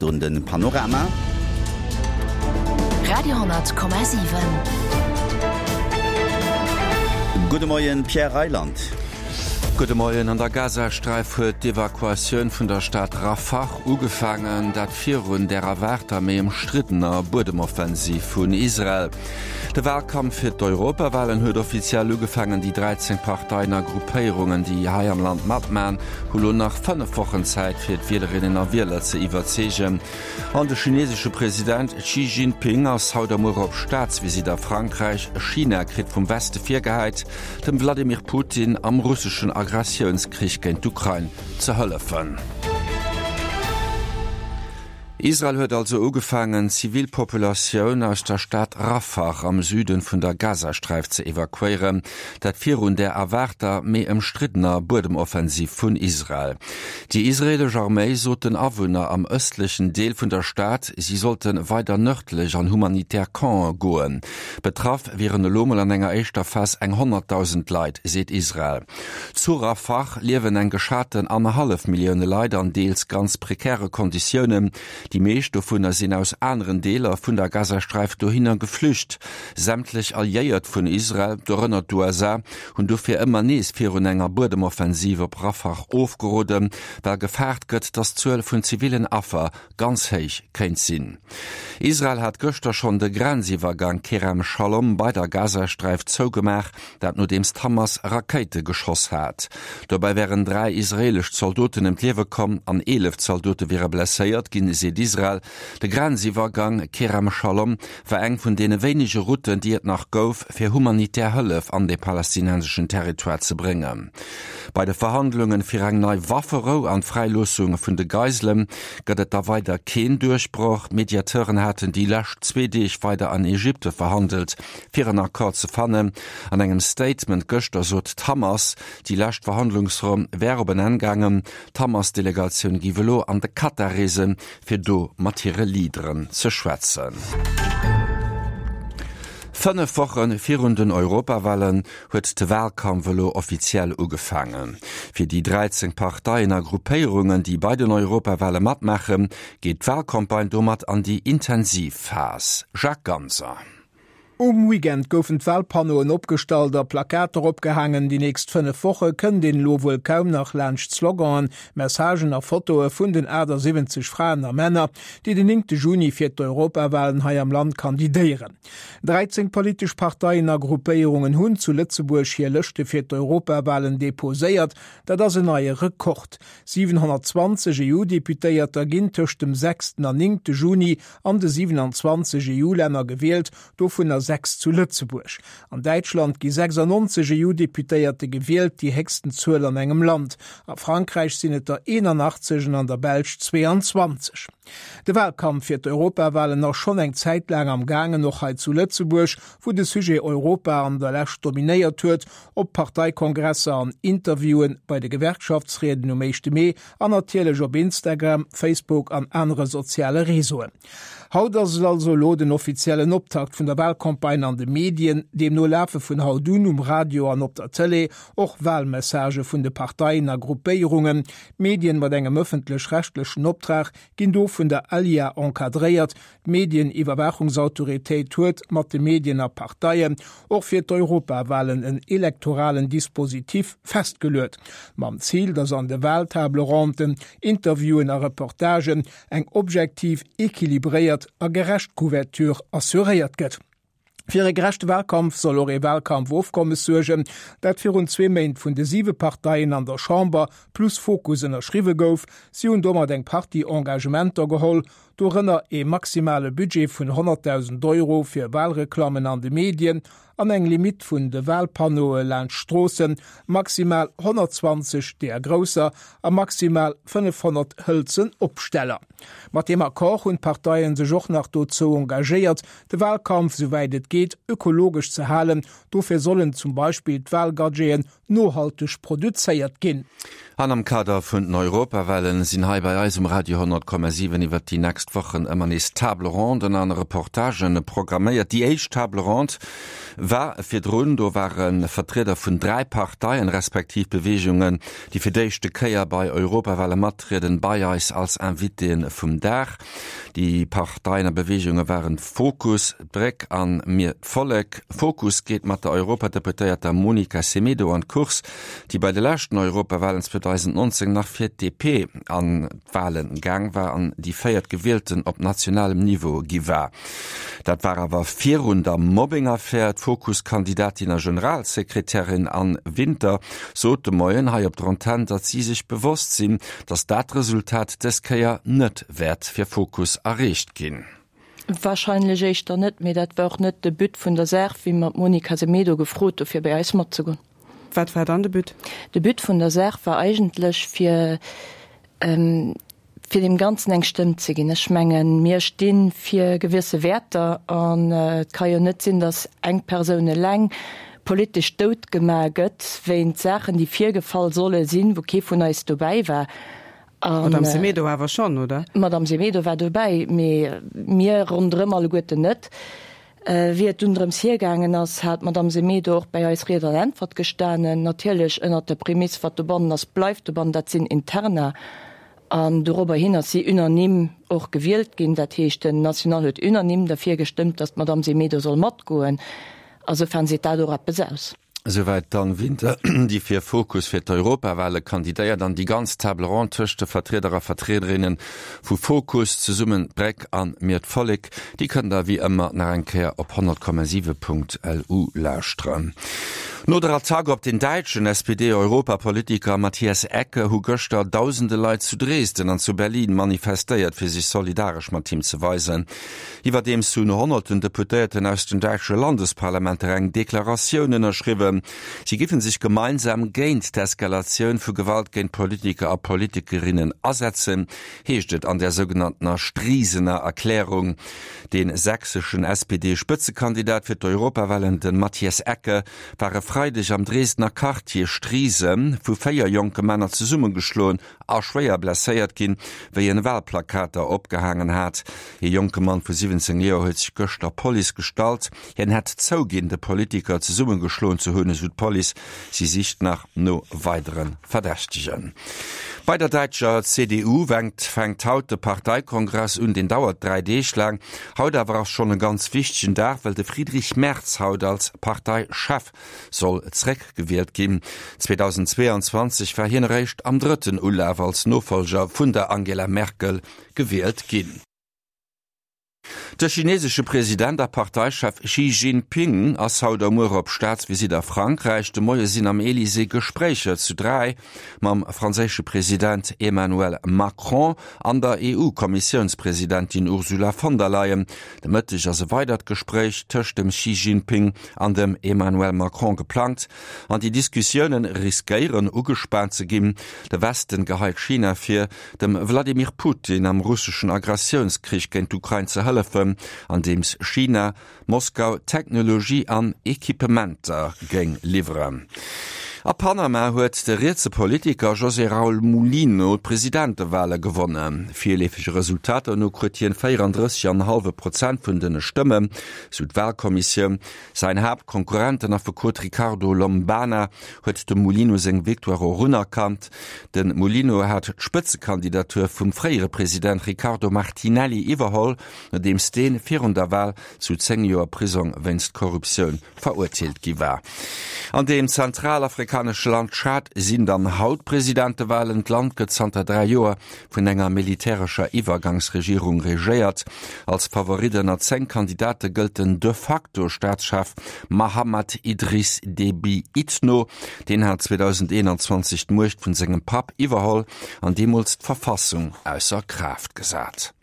virdrun de Panorama. Radio,7. Gudde Moien, Pierre Reyland. Gudde Moien. An der Gazasträif huet d'Evakuatioun vun der Stad Rafah ugefaangen, dat virun der erwaarter, méi ëmstriddener Buedemoffensiv vun Israel. De Walkampf fir d'Europawalen huet offiziell ugefaangen. Déi 13 Parteien a Gruppéierungen, déi hei am Land matman, hu lo nach 5 Wochen Zäit, fir d'Wielerinnen a Wieler ze iwwerzeegen. An de chinesesche President Xi Jinping ass haut a muer op Staatsvisitt a Frankräich. China kritt vum Weste virgehäit, dem Wladimir Putin am russeschen Agressiounskrich géint d'Ukrain ze hëllefen. Israel huet also ugefaangen, d'Zivilpopulatioun aus der Stad Rafah am Süden vun der Gazasträif ze evakuéieren, dat virun der erwaarter, mee ëmstriddener Buedemoffensiv vun Israel. Déi israeelesch Arméi sot den Awunner am ëstlechen Deel vun der Stad, si sollte weider nërdlech an humanitär Campe goen. Betraff wieren elo mol an enger éischter Phas eng 100.000 Leit, seet Israel. Zu Rafah liewen eng geschaten annerhallef Millioune Leit an deels ganz prekäre Konditiounen. Déi meescht dovunner sinn aus aneren Deeler vun der Gazasträif dohinner geflücht. Sämtlech Alliéiert vun Israel, dorënner d'USA, hunn dofir ëmmer nees virun enger Buedemoffensiv op Rafah ofgeroden, well gefaart gëtt, datt d'Zuel vun zivillen Affer ganz héich kéint sinn. Israel hat gëschter schonn de Grenziwwergang Kerem Shalom bei der Gazasträif zougemaach, dat nodeems d'Hamas Rakéite geschoss hat. Dobäi wären 3 israeelesch Zaldoten ëm d'Liewe komm an 11 Zaldote wiere blesséiert ginn, seet Israel. De Grenziwwergang Kerem Shalom war eng vun deene wéinege Routen, déi et nach gouf, fir humanitär Hëllef an de palästinenseschen Territoire ze bréngen. Bei de Verhandlunge fir eng nei Wafferou an d'Fräiloossung vun de Geisele gëtt et da weider keen Duerchbroch. D'Mediateuren haten déi lescht zwee Deeg weider an Ägypte verhandelt, fir en Accord ze fannen. An engem Statement gëschter sot d'Hamas, déi lescht Verhandlungsronn wär op en Enn gaangen. D'Hamas-Delegatioun géif elo an de Katar reesen, fir do mat hire Leaderen ze schwätzen. 5 Woche virun den Europawalen huet de Walkampf elo offiziell ugefaangen. Fir déi 13 Parteien a Gruppéierungen, déi bei den Europawale matmaachen, geet d'Walcampagne domat an déi intensiv Phas. Jacques Ganser. Um Weekend goufen d'Walpannoen opgestallt a Plakater opgehaangen. Déi nächst 5 Woche kënnt een elo wuel kaum nach laanscht Sloganen, Messagen a Fotoe vun den 78 Fraen a Männer, déi den 9 Juni fir d'Europawalen hei am Land kandidéieren. 13 politesch Parteien a Gruppéierungen hunn zu Lëtzebuerg hir Lëschte fir d'Europawalen deposéiert. Dat ass en neie Rekord. 720 EU-Deputéierter ginn tëscht dem sechsten an néngte Juni an de 27 EU-Länner gewielt, dovunner 6 zu Lëtzebuerg. An Däitschland gi 96 EU-Deputéierte gewielt, déi héchsten Zuel an engem Land. A Frankräich sinn et der 81 an an der Belsch 22. De Walkampf fir d'Europawalen ass schonn eng Zäit laang am gaangen, och hei zu Lëtzebuerg, wou de Sujet Europa an der Lescht dominéiert huet, op Parteikongresser, an Interviewen, bei de Gewerkschaftsrieden um éischte Mee an natierlech op Instagram, Facebook an anere soziale Réseauen. Haut ass et also elo den offiziellen Optakt vun der Walcampagne an de Medien. Deemno lafe vun haut un um Radio an op der Tëlee och Walmessagë vun de Parteien a Gruppéierungen. D'Medien mat engem ëffentlech-rechtlechen Optrag ginn do vun der ALIA encadréiert. D'Medieniwwerwaachungsautoritéit huet mat de Medien a Parteien och fir d'Europawalen en elektoralen Dispositif festgeluet, mam Zil, datt an de Wahltable-ronden, Interviewen a Reportagen eng objektiv, equilibréiert a gerecht Couverture assuréiert gëtt. Fir e gerechte Wahlkampf soll och ee Wahlkampfofkommes suergen, dat virun zwee Méint vun de siwe Parteien an der Chamber plus Fokus ënnerschriwwe gouf. Si hunn domat eng Partie Engagementer geholl, dorënner ee maximale Budget vun 100.000 Euro fir Wahlreklammen an de Medien an eng Limitt vun de Wahlpanneaue laanscht Stroossen, maximal 120 deeër grousser a maximal 500 hëlzen Opsteller. Mat deem Accord hunn d'Parteien sech och nach dozou engagéiert, de Wahlkampf souwäit et geet ökologesch ze halen. Dofir sollen zum Beispill d'Wahlgadgeten nohalteg produzéiert ginn. An am Kader vun den Europawahlen sinn hei bei eis um Radio 100,7 iwwert déi next Wochen ëmmer nees Table Ronden an Reportagen programméiert. Déi éischt Table Ronde. War virdrun, do ware Vertrieder vun 3 Parteien, respektiv Beweegungen, déi fir d'éischte Kéier bei Europawale mattrieden, bei eis als Invitéen vum Dag. Déi Parteien a Beweegunge waren Fokus, d'Bréck an Mir d'Vollek. Fokus geet mat der Europadeputéierter Monica Semedo an d'Course, déi bei de leschten Europawalen 2019 nach fir d'DP an d'Walen gaang war an déi véiert Gewielten op nationalem Niveau gi war. Dat war awer virun der Mobbing-Affär. D'Fokus-Kandidatin a Generalsekretärin Anne Winter sot de Moien hei op der Antenn, datt si sech bewosst sinn, datt dat Resultat dës Kéier net wäert fir Fokus erreecht ginn. Wahrscheinlech éischter net, mee dat war och net de But vun der Saach, wéi mer d'Monica Semedo gefrot hu fir bei eis matzegoen. Wat war dann de But? De But vun der Saach war eigentlech fir fir deem Ganzen eng Stëmm ze ginn. Ech mengen, mir sti fir gewësse Wäerter an et ka jo net sinn, datt eng Persoun eleng politesch dout gemaach gëtt wéint Saachen, déi virgefall solle sinn, wou kee vun eis dobäi war. D'Madame Semedo awer schonn, oder? D'Madame Semedo war dobäi, mee mir ronderëm alleguerten net. Wéi et dunn drëms hiergaangen ass, hat d'Madame Semedo och bäi eis Ried an Äntwert gestanen, natierlech ënnert der Prämiss, wat dobannen ass, bleift dobannen, dat sinn Interna. An dorobber hin ass si unanime och gewielt ginn. Dat heescht, den National huet unanime derfir gestëmmt, datt d'Madame Semedo soll matgoen. A soufern seet dat och eppes aus. Souwäit d'Anne Winter, déi fir Fokus fir d'Europawale kandidéiert. An déi ganz Table ronde tëscht de Vertrieder a Vertriederinne vu Fokus, Zesummen d'Bréck an Mir d'Vollek, déi kënnt der wéi ëmmer nach eng Kéier op 100,7.lu lauschteren. No der Attack op den däitschen SPD-Europapolitiker Matthias Ecke hu gëschter dausende Leit zu Dresden an zu Berlin manifestéiert, fir sech solidaresch mat him ze weisen. Iwwerdeems hunn honnerten Deputéierten aus den däitsche Landesparlamenter eng Deklaratioun ënnerschriwwen. Si giffen sech gemeinsam géint d'Eskalatioun vu Gewalt géint Politiker a Politikerinnen asetzen, heescht et an der sougenanntener Strisener Erklärung. De sächseschen SPD-Spëtzekandidat fir d'Europawahlen, de Matthias Ecke, war e Freideg am Dresdner Quartier Striesen vu 4 jonke Männer zesummegeschloen a schwéier blesséiert ginn, wéi en Wahlplakater opgehaangen hat. Ee jonke Mann vu 17 Joer huet sech gëscht der Police gestallt. Hien hätt zouginn, de Politiker zesummegeschloen ze hunn, esou d'Police. Si sicht nach no weidere Verdächtegen. Bei der däitscher CDU fänkt haut de Parteikongress un. Deen dauert 3 Deeg laang. Haut awer ass schonn e ganz wichtegen Dag, well de Friedrich Merz haut als Parteichef soll zeréckgewielt ginn. 2022 war hien eréischt am drëtten Ulaf als Nofollger vun der Angela Merkel gewielt ginn. De chinesesche President a Parteichef Xi Jinping ass haut a muer op Staatsvisitt a Frankräich. De Moie sinn am Elysée Gespréicher zu 3 mam franséische President Emmanuel Macron an der EU-Kommissiounspresidentin Ursula von der Leyen. De Mëtteg ass e weidert Gespréich tëscht dem Xi Jinping an dem Emmanuel Macron geplangt. An déi Diskussioune riskéieren ugespaant ze ginn. De Westen geheit China vir, dem Wladimir Putin am russeschen Agressiounskrich géint d'Ukrain ze hëllefen, andeems China Moskau Technologie an Equipementer géing liwweren. A Panama huet de rietse Politiker José Raul Mulino d'Presidentewale gewonnen. Virleefege Resultater no kruet hien 34 an e hallwe Prozent vun den Stëmmen, sou d'Walkommissioun. Säin Haaptkonkurrent, den Affekot Ricardo Lombana, huet dem Mulino seng Victoire och unerkannt. De Mulino hat d'Spëtzekandidatur vum fréiere President Ricardo Martinelli iwwerholl, nodeems dee virun der Wal zu 10 Joer Prisong wéinst Korruptioun verurteelt gi war. An dem zentralafrikanesche Land Tschad sinn dann haut Presidentewalen. D'Land gëtt zanter 3 Joer vun enger militärescher Iwwergangsregierung regéiert. Als Favorit ënner 10 Kandidate gëllt den de facto Staatschef Mahamat Idriss Déby Itno. Deen hat 2021 d'Muecht vun sengem Papp iwwerholl an deemools d'Verfassung ausser Kraaft gesat.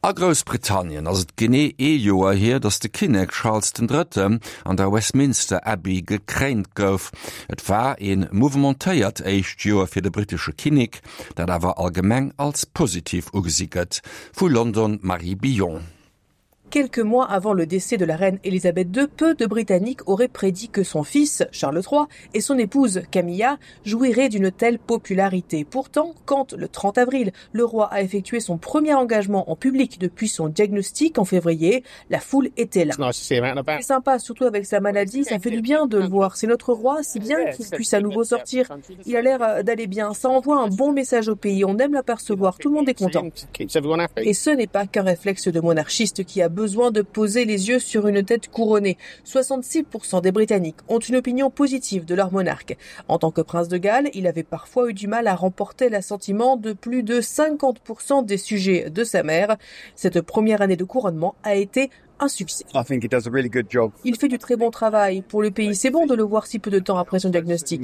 A Groussbritannien ass et genee ee Joer hier, datt de Kinnek Charles den Drëtten an der Westminster Abbey gekréint gouf. Et war ee mouvementéiert éischt Joer fir de brittesche Kinnek, dat awer allgemeng als positiv ugesi gëtt. Vu London d'Marie Billon. Quelques mois avant le décès de la reine Elisabeth II, peu de Britanniques auraient prédit que son fils, Charles III, et son épouse, Camilla, jouiraient d'une telle popularité. Pourtant, quand le 30 avril, le roi a effectué son premier engagement en public depuis son diagnostic en février, la foule était là. C'est sympa, surtout avec sa maladie, ça fait du bien de le voir. C'est notre roi, si bien qu'il puisse à nouveau sortir. Il a l'air euh, d'aller bien, ça envoie un bon message au pays, on aime l'apercevoir, tout le monde est content. Et ce n'est pas qu'un réflexe de monarchiste qui a besoin de poser les yeux sur une tête couronnée. 66% des Britanniques ont une opinion positive de leur monarque. En tant que prince de Galles, il avait parfois eu du mal à remporter l'assentiment de plus de 50% des sujets de sa mère. Cette première année de couronnement a été un succès. Really Il fait du très bon travail pour le pays. C'est bon de le voir si peu de temps après son diagnostic.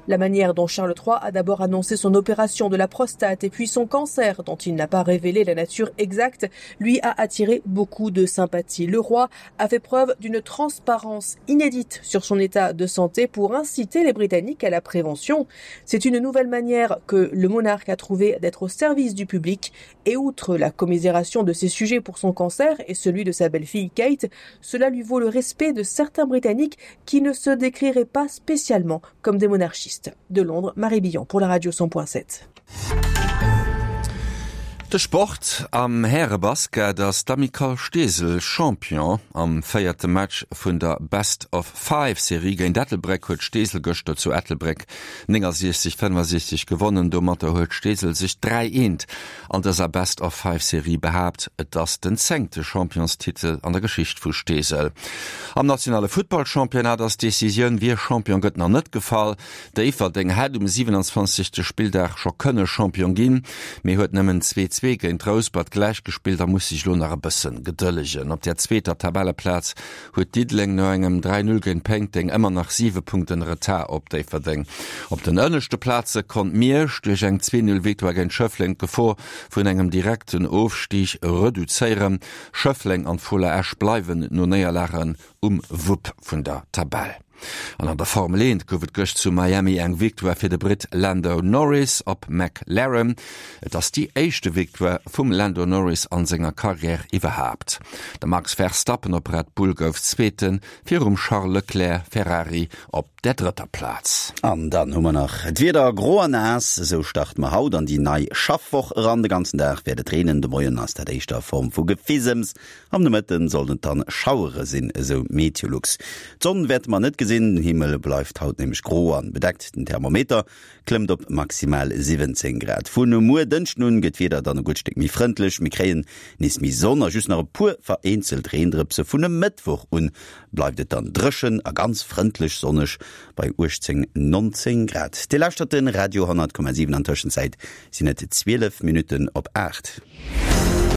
La manière dont Charles III a d'abord annoncé son opération de la prostate et puis son cancer, dont il n'a pas révélé la nature exacte, lui a attiré beaucoup de sympathie. Le roi a fait preuve d'une transparence inédite sur son état de santé pour inciter les Britanniques à la prévention. C'est une nouvelle manière que le monarque a trouvé d'être au service du public et outre la commisération de ses sujets pour son cancer et celui de sa belle-fille Kate, cela lui vaut le respect de certains Britanniques qui ne se décriraient pas spécialement comme des monarchistes. De Londres, Marie Billon pour la radio 100.7. De Sport, Am Härebasket ass d'Amicale Steesel Champion. Am véierte Match vun der Best of Five Serie géint Ettelbréck huet Steesel gëschter zu Ettelbréck 69, 65 gewonnen. Domatter huet Steesel sech 3 Eent an dëser Best of Five Serie behaapt. Et ass den zéngte Championstitel an der Geschicht vu Steesel. Am nationale Futtballchampionnat ass d'Decisioun, wie Champion gëtt, nach net gefall. Déifferdeng hätt um 27. Spilldag scho kënne Champion ginn, mee huet nëmmen 2, 2 géint Rouspert gläichgespillt a muss sech elo nach e bësse gedëllegen. Op der zweeter Tabelleplaz huet Diddeleng no engem 3, 0 géint Péiteng ëmmer nach 7 Punkten Retard op Déifferdeng. Op den ënneschte Plaze konnt Miersch duerch eng 2, 0 Victoire géint Schëffleng d'Gefor vun engem direkten Ofstig reduzéieren. Schëffleng an d'Fola Esch bleiwen no Néierlagen um Wupp vun der Tabell. An an der Formel 1 gouf et gëscht zu Miami eng Victoire fir de Britt Lando Norris op McLaren. Et ass déi éischte Victoire vum Lando Norris an senger Karriär iwwerhaapt. De Max Verstappen op Red Bull gouf Zweeten, virum Charles Leclerc, Ferrari, op der drëtter Plaz. An dann hu mer nach d'Wieder, Gro a naass, esou starte mer haut an déi nei Schaffwoch eran. De ganzen Dag wäert et reenen, de Moien ass dat éischter a Form vu Gefisems. Am Nomëtten sollen et dann Schauere sinn, esou Meteolux. D'Sonn wäerte mer net gesinn, den Himmel bleift haut nämlech gro an bedeckt. Den Thermometer klëmmt op maximal 17 Grad. Vun muer Dënschden un gëtt d'Wieder dann e gutt Stéck méi frëndlech, mir kréien nees méi Sonn a just nach e puer vereenzelt Reendrëpse. Vun e Mëttwoch un bleift et dann dréchen a ganz frëndlech sonneg bei 18, 19 Grad. Dir lauschtert de Radio 10,7, an Tëschenzäit sinn et 12 Minutten op 8.